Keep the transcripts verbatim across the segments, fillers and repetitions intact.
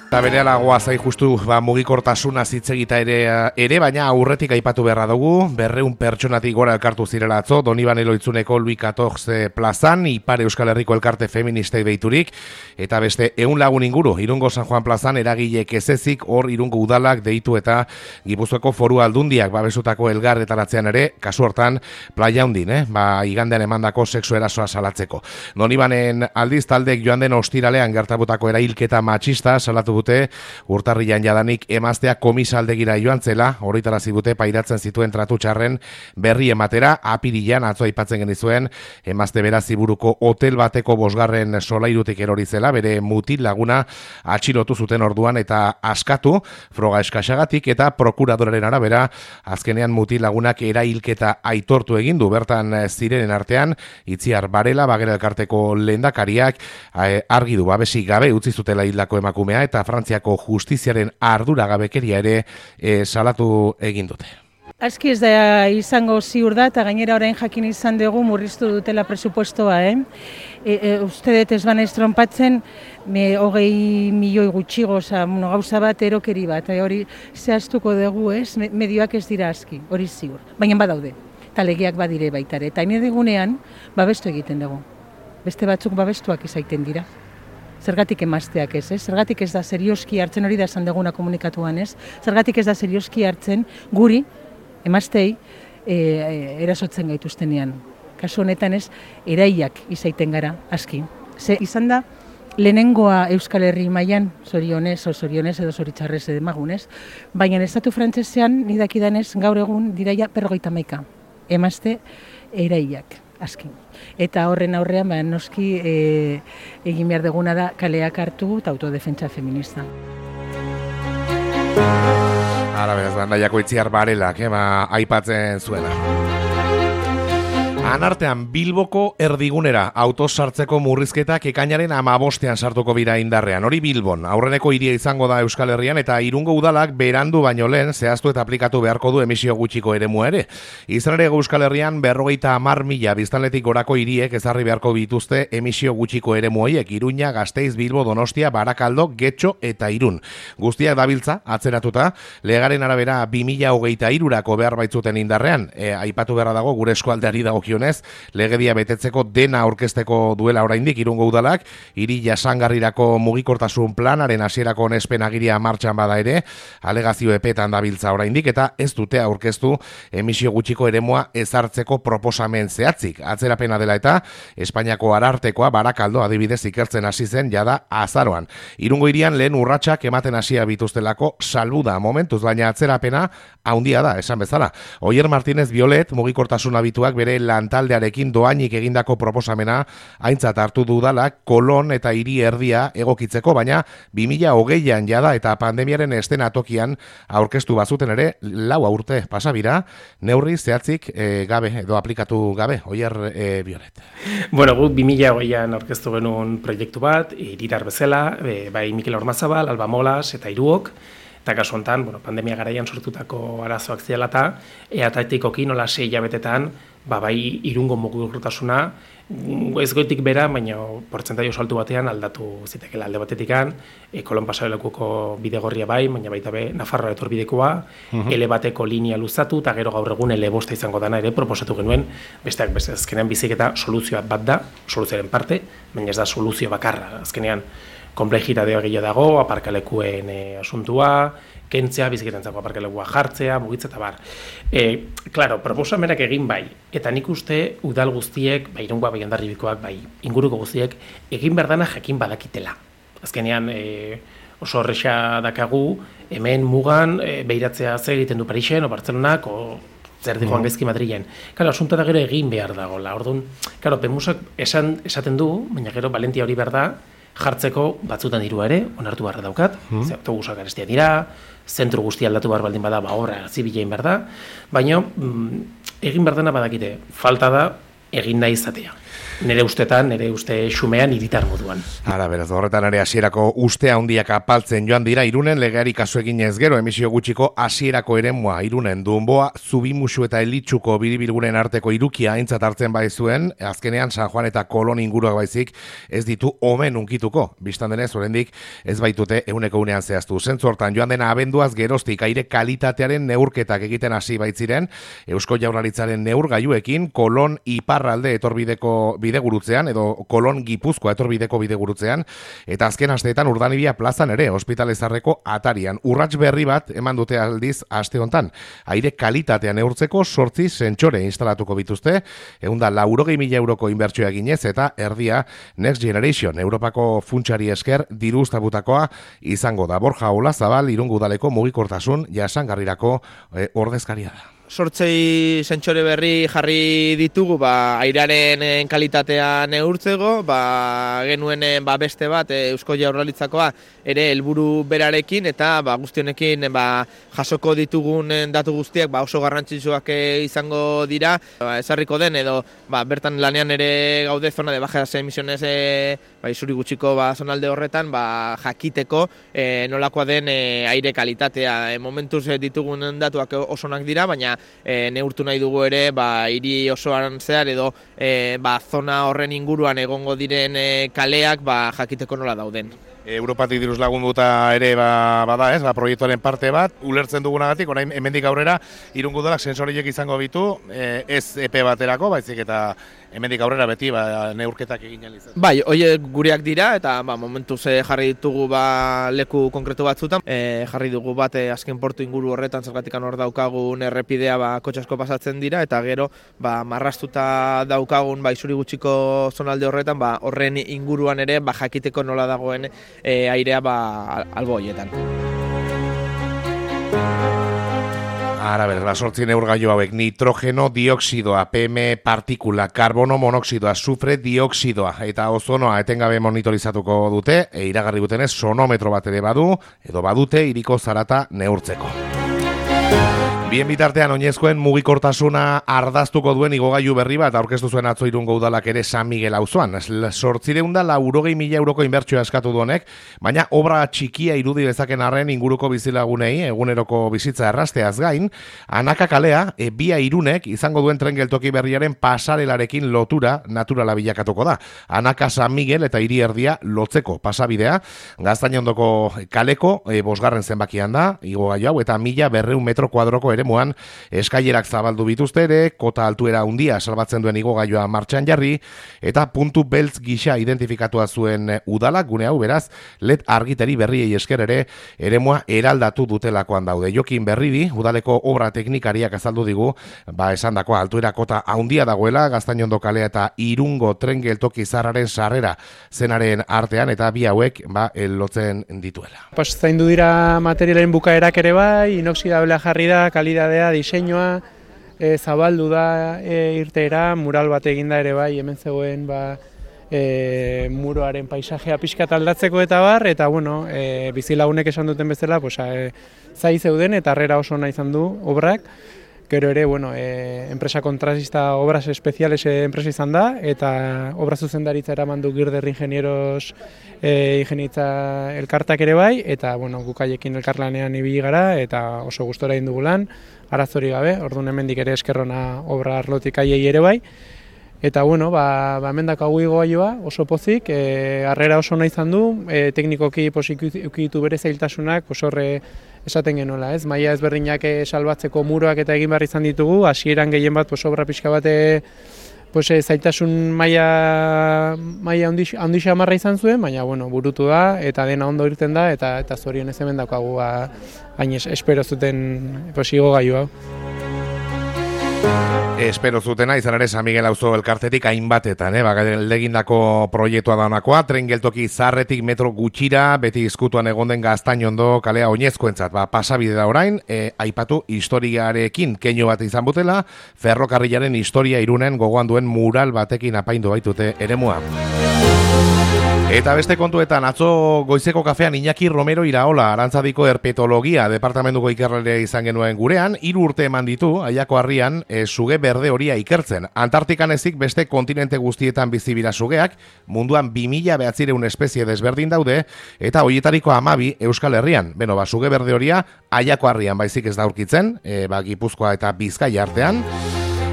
Eta berehala goazai justu ba, mugikortasuna zitzegita ere, ere, baina aurretik aipatu beharra dugu, berreun pertsonatik gora elkartu zirela atzo, Donibane Loitzuneko Luis catorce plazan, Ipar Euskal Herriko elkarte feministei deiturik, eta beste ehun lagun inguru, Irungo San Juan plazan eragilek ezezik, hor Irungo udalak deitu eta Gipuzkoako Foru Aldundiak babesutako elgarretaratzean ere, kasu hortan, playa hundin, eh? ba, igandean emandako sexu erasoa salatzeko. Donibanen aldiz taldek joan den ostiralean gertabutako erailketa matxista salatu dute urtarrian jadanik emaztea komisaldegira joan zela, horretarazi dute pairatzen zituen tratu txarren berri ematera, apirilan atzo aipatzen genizuen, emazte bera Ziburuko hotel bateko bosgarren solairutik erori zela, bere mutil laguna atxilotu zuten orduan eta askatu, froga eskaxagatik eta prokuradoraren arabera, azkenean mutil lagunak erailketa aitortu egin du, bertan zirenen artean, Itziar Barela, Bagera elkarteko lehendakariak, argi du babesik gabe utzi zutela hildako emakumea eta Frantziako justiziaren arduragabekeria ere e, salatu egin dute. Aski ez da izango ziur da, eta gainera orain jakin izan dugu murriztu dutela presupuestoa, eh? E, e, uste dut ez bana estrompatzen, me hogei milioi gutxigo, oza, bueno, gauza bat, erokeri bat, e, hori zehaztuko dugu, ez? Medioak ez dira aski, hori ziur, baina badaude, eta legeak badire baitare, eta hain egunean, babestu egiten dugu, beste batzuk babestuak izaiten dira. Zergatik emazteak ez, ez? Zergatik ez da serioski hartzen, hori da esan deguna komunikatuan ez, zergatik ez da serioski hartzen guri, emaztei, e, e, erasotzen gaituztenean. Kasu honetan ez, eraiak izaiten gara, aski. Ze izan da, lehenengoa Euskal Herri mailan zorionez, o zorionez edo zoritxarrez edemagunez, baina estatu frantsesean, nidakidanez, gaur egun diraia berrogeita hamaika. Emazte, eraiak. Aski. Eta horren aurrean, ba, noski e, egin behar duguna da kaleak hartu eta autodefentsa feminista. Ara beraz, bandaiako Itziar Barelak, eh, ba, aipatzen zuena. Anartean Bilboko erdigunera autos sartzeko murrizketak ekainaren hamabostean sartuko bira indarrean. Hori Bilbon, aurreneko hiria izango da Euskal Herrian eta Irungo udalak berandu baino lehen zehaztu eta aplikatu beharko du emisio gutxiko eremua ere. Izan ere Euskal Herrian berrogeita hamar mila biztanletik gorako hiriek ezarri beharko bituzte emisio gutxiko eremu horiek, Iruña, Gasteiz, Bilbo, Donostia, Barakaldo, Getxo eta Irun. Guztiak dabiltza atzeratuta, legaren arabera bi mila hogeita hirurako behar baitzuten indarrean. E, aipatu beharra dago gure eskualdeari dagokionez, legedia betetzeko dena aurkezteko duela oraindik Irungo udalak, hiri jasangarrirako mugikortasun planaren hasierako onespen agiria martxan bada ere, alegazio epetan dabiltza oraindik eta ez dute aurkeztu emisio gutxiko eremua ezartzeko proposamen zehatzik. Atzerapena dela eta Espainiako Arartekoa Barakaldo adibidez ikertzen hasi zen jada azaroan. Irungo hirian lehen urratsak ematen hasia bituztelako salbu da momentuz, baina atzerapena haundia da, esan bezala. Oier Martínez Violet mugikortasun abituak bere lantaldearekin doainik egindako proposamena aintzat hartu dudalak Kolon eta hiri erdia egokitzeko, baina bi mila hogeian jada eta pandemiaren estenatokian aurkeztu bazuten ere lau urte pasabira, neurri zehatzik e, gabe edo aplikatu gabe. Oier e, Violet. Bueno, guk bi mila hogeian aurkeztu genuen proiektu bat, hiritar bezala, e, bai Mikel Ormazabal, Alba Molas eta Iruok, eta kasu honetan, bueno, pandemia garaian sortutako arazoak zirela eta eatatikoki nola sei hilabetetan, ba, bai Irungo mugikortasuna, ez goitik bera, baina portzentaio saltu batean aldatu zitekela alde batetikan, e, Kolon pasarelekuko bidegorria bai, baina baita be Nafarroa etorbidekoa, uh-huh. ele bateko linea luzatu, eta gero gaur egun ele bosta izango dana ere proposatu genuen, besteak beste, azkenean biziketa soluzioa bat da, soluzioaren parte, baina ez da soluzio bakarra, azkenean konplexitatea gehiago dago, aparkalekuen e, asuntua, kentzea, biziketantzako aparkalekua jartzea, mugitza eta bar. E, claro, proposamenak egin bai, eta nik uste udal guztiek, bai Irungoa, bai Hondarribikoak, bai inguruko guztiek, egin berdana jakin badakitela. Azkenean e, oso horreza dakagu, hemen mugan e, behiratzea zer egiten du Parisen, o Bartzelonak, o zer di joan gaizki Madrilen. Claro, asunta da gero egin behar dagoela. Orduan, claro, Pemusak esan, esaten du, baina gero valentia hori behar da, jartzeko batzutan dirua ere, onartu barra daukat, mm. ze autobusak garestia dira, zentru guztia aldatu behar baldin bada, ba obra zibilein behar da, baina mm, egin behar dena badakite, falta da egin nahi izatea. nire ustetan, nire uste xumean hiritar moduan. Hala, beraz, horretan ere hasierako uste handiak apaltzen joan dira Irunen, legeari kasu egin ez gero emisio gutxiko hasierako eremua Irunen Dunboa, Zubimusu eta Elitxuko biribilgunen arteko irukia aintzat hartzen bai zuen, azkenean San Juan eta Kolon inguruak baizik ez ditu omen unkituko. Bistan denez, oraindik ez baitute ehuneko unean zehaztu. Zentzu hortan joan dena abenduaz geroztik aire kalitatearen neurketak egiten hasi baitziren, Eusko Jaurlaritzaren neurgailuekin Kolon iparralde etorbideko bidegurutzean edo Kolon Gipuzkoa etorbideko bidegurutzean, eta azken asteetan Urdanibia plazan ere ospitalezarreko atarian. Urrats berri bat eman dute aldiz aste hontan. Aire kalitatea neurtzeko sortzi sentsore instalatuko bituzte, ehun eta laurogei mila euroko inbertsioa eginez eta erdia Next Generation Europako funtsari esker diruztabutakoa izango da. Borja Olazabal Irungo Udaleko mugikortasun jasangarrirako e, ordezkaria da. Sortzei sentsore berri jarri ditugu, ba, airearen kalitatea neurtzeko, ba, genuen ba, beste bat Eusko Jaurlaritzakoa ere helburu berarekin, eta ba, guztionekin ba, jasoko ditugun datu guztiak ba, oso garrantzitsuak izango dira. Ba, ezarriko den edo ba, bertan lanean ere gaude zona de bajas emisiones e, ba, izuri gutxiko ba, zonalde horretan ba, jakiteko e, nolakoa den e, aire kalitatea. E, momentuz e, ditugun datuak osonak dira, baina E, neurtu nahi dugu ere ba, hiri osoan zehar edo e, ba, zona horren inguruan egongo diren e, kaleak ba, jakiteko nola dauden. Europatik diruz lagunduta ere ba, bada ez, ba, proiektuaren parte bat, ulertzen dugunagatik, orain hemendik aurrera Irungo Udalak sensoriek izango bitu, e, ez epe baterako, baizik eta hemendik aurrera beti ba, neurketak egin alizat. Bai, horiek gureak dira eta ba, momentuz e, jarri ditugu ba, leku konkretu batzutan. E, jarri dugu bat e, azken portu inguru horretan, zergatikan hor daukagun errepidea ba, kotxasko pasatzen dira, eta gero ba, marrastuta daukagun ba, izuri gutxiko zonalde horretan, ba, horren inguruan ere ba, jakiteko nola dagoen e, airea ba, albo horietan. Ara, berra, sortzi neurgailu hauek, nitrogeno dioksidoa, P M partikula, karbono monoksidoa, sufre dioksidoa eta ozonoa etengabe monitorizatuko dute, e iragarri gutenez sonometro bat ere badu, edo badute hiriko zarata neurtzeko. Bien bitartean oinezkoen mugikortasuna ardaztuko duen igogailu berri bat aurkeztu zuen atzo Irungo Udalak ere San Miguel auzoan. Zortziehun eta laurogei mila euroko inbertsioa eskatu du honek, baina obra txikia irudi dezaken arren inguruko bizilagunei eguneroko bizitza errazteaz gain, Anaka kalea e, bia Irunek izango duen tren geltoki berriaren pasarelarekin lotura naturala bilakatuko da. Anaka San Miguel eta hiri erdia lotzeko pasabidea, Gaztainondoko kaleko e, bosgarren zenbakian da, igogailu hau, eta mila berreun metro kuadroko eremuan eskailerak zabaldu bituzte ere, kota altuera handia salbatzen duen igogailua martxan jarri, eta puntu beltz gisa identifikatua zuen udalak, gune hau beraz, led argiteri berriei esker ere, eremua eraldatu dutelakoan daude. Jokin Berridi, udaleko obra teknikariak azaldu digu, ba esandakoa altuera kota handia dagoela, Gaztainondo kalea eta Irungo tren geltoki zarraren sarrera zenaren artean, eta bi hauek ba lotzen dituela. Pues zaindu dira materialen bukaerak ere bai, inoxidablea jarri da, kalidadea, diseinua, e, zabaldu da e, irteera, mural bat eginda ere bai, hemen zegoen ba, e, muroaren paisajea pixkat aldatzeko eta bar, eta bueno, e, bizilagunek esan duten bezala, pues, e, zai zeuden eta harrera oso ona izan du obrak. Gero ere, bueno, e, enpresa kontratista obras espeziales e, enpresa izan da, eta obra zuzendaritza eraman du Girder Ingenieros e, ingenieritza elkartak ere bai, eta bueno, gukaiekin elkarlanean ibili gara, eta oso gustora egin dugu lan, arazori gabe, orduan hemendik ere eskerrona obra arlotik aiei ere bai. Eta bueno, ba, ba mendako hau igogailua oso pozik, e, harrera oso ona izan du, e, teknikoki ukitu bere zailtasunak, pues horre esaten genuela, ez? Maila ezberdinak salbatzeko muroak eta egin behar izan ditugu, hasieran gehien bat pues obra pixka bate pues zailtasun maila maila handi xamarra izan zuen, baina bueno, burutu da eta dena ondo irten da eta eta zorionez hemen daukagu ba hain espero zuten pues igogailu hau. Espero zutena, izan ere San Miguel auzo elkartetik hainbatetan, eh? Legindako proiektua daunakoa, tren geltoki zarretik metro gutxira, beti izkutuan egon den Gaztainondo kalea oinezkoentzat, ba, pasabide da orain, e, aipatu historiarekin keinu bat izan butela, ferrokarrilaren historia Irunen gogoan duen mural batekin apaindu baitute eremua. Eta beste kontuetan, atzo goizeko kafean Iñaki Romero Iraola, Arantzadiko herpetologia departamentuko ikerralea izan genuen gurean, hiru urte eman ditu, Aiako Harrian, e, suge berde horia ikertzen. Antartikan ezik beste kontinente guztietan bizibira sugeak, munduan bi mila bederatziehun espezie desberdin daude, eta hoietariko hamabi Euskal Herrian. Beno, ba, suge berde horia Aiako harrian baizik ez da aurkitzen, e, ba, Gipuzkoa eta Bizkaia artean.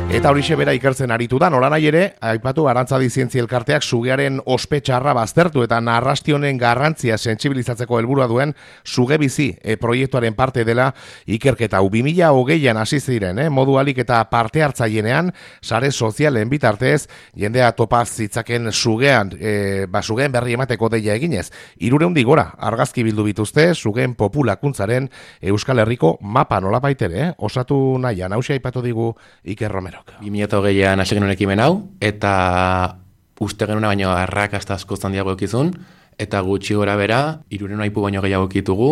Eta horixe bera ikertzen aritu da, nolanahi ere, aipatu Arantzadi Zientzia Elkarteak sugearen ospetxarra baztertu eta narrastionen garrantzia sentsibilizatzeko helburua duen suge bizi e, proiektuaren parte dela ikerketa. bi mila hogeian hasi ziren, eh, modu alik eta parte hartzailenean, sare sozialen bitartez, jendea topaz zitzaken sugean, e, ba, sugeen berri emateko deia eginez. Hirurehun gora, argazki bildu bituzte, sugeen populakuntzaren Euskal Herriko mapa nolabait ere, eh, osatu nahian, hausia aipatu digu Iker Romero. bi mila hogeian hasi genuen ekimen hau, eta uste genuen baino arrakasta asko handiago ekizun, eta gutxi gora bera, hirurehun aipu baino gehiago ekitugu,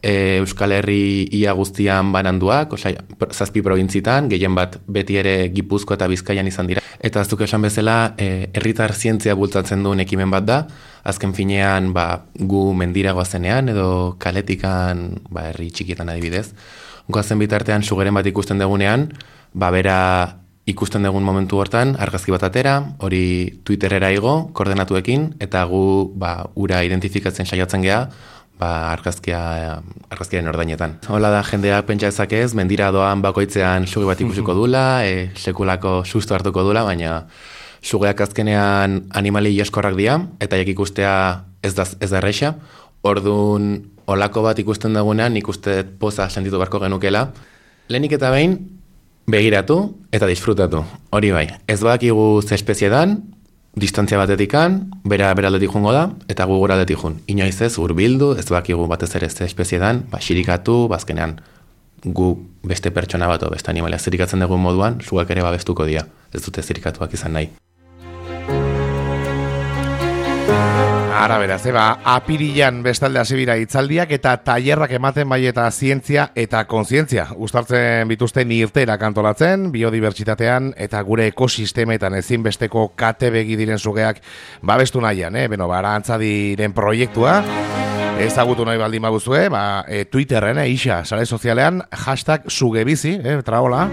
e, Euskal Herri ia guztian bananduak, osea, zazpi probintzitan, gehien bat beti ere Gipuzko eta Bizkaian izan dira. Eta aztuk esan bezala, e, herritar zientzia bultzatzen duen ekimen bat da, azken finean ba, gu mendira goazenean, edo kaletikan ba, herri txikietan adibidez. Goazen bitartean sugeren bat ikusten dugunean, ba, bera ikusten dugun momentu hortan, argazki bat atera, hori Twitterera igo, koordenatuekin, eta gu ba, ura identifikatzen saiatzen geha, ba, argazkia, argazkiaren ordainetan. Hola da, jendeak pentsa ezakez, mendira doan bakoitzean suge bat ikusiko dula, e, sekulako susto hartuko dula, baina sugeak azkenean animali eskorrak dira, eta jak ikustea ez da, ez da erreixa. Orduan, olako bat ikusten dagoenean, nik uste poza sentitu barko genukela. Lehenik eta behin, begiratu eta disfrutatu. Hori bai, ez badakigu ze espezie dan, distantzia batetikan, bera beraldetik jungo da, eta gu gora aldetik jun. Inoiz ez, urbildu, ez badakigu batez ere ze espezie dan, ba, xirikatu, bazkenean gu beste pertsona bat o beste animalia zirikatzen dugun moduan, sugak ere babestuko dira. Ez dute zirikatuak izan nahi. Ara beraz, eba, apirilan bestalde hasibira hitzaldiak eta tailerrak ematen bai eta zientzia eta kontzientzia. Uztartzen bituzten irterak antolatzen, biodibertsitatean eta gure ekosistemetan ezinbesteko kate begi diren sugeak babestu nahian, eh? Beno, ba, Arantzadiren proiektua, ezagutu nahi baldin baguzue, ba, e, Twitterren, eh, isa, sare sozialean, hashtag sugebizi, eh, traola.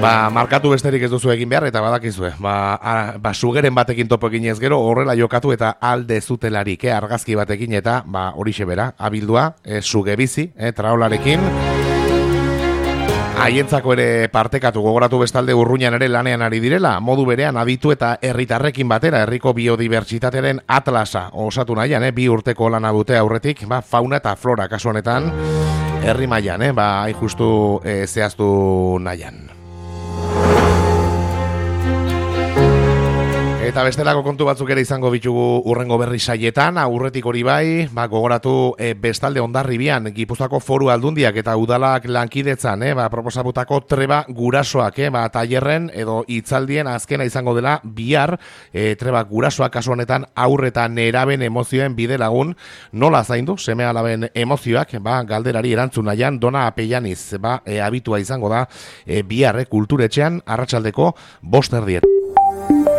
Ba, markatu besterik ez duzu egin behar, eta badakizue. Ba, a, ba sugeren batekin topo eginez gero, horrela jokatu eta alde zutelarik, eh, argazki batekin, eta ba, horixe bera, abildua, eh, sugebizi, eh, traolarekin. Haientzako ere partekatu, gogoratu bestalde Urruñan ere lanean ari direla, modu berean aditu eta herritarrekin batera, herriko biodibertsitatearen atlasa osatu nahian, eh, bi urteko lana dute aurretik, ba, fauna eta flora kasu honetan, herri mailan, eh, ba, hain justu eh, zehaztu nahian. Eta bestelako kontu batzuk ere izango bitugu urrengo berri saietan, aurretik hori bai, ba, gogoratu e, bestalde Hondarribian, Gipuzkoako Foru Aldundiak eta udalak lankidetzan, e, ba, proposatutako treba gurasoak, e, ba, tailerren edo hitzaldien azkena izango dela bihar, e, treba gurasoak kasu honetan aurre eta neraben emozioen bide lagun, nola zaindu seme alaben emozioak, ba, galderari erantzun nahian, Dona Apellaniz, ba, e, abitua izango da, e, bihar, e, kulturetxean, arratsaldeko bost erdiet.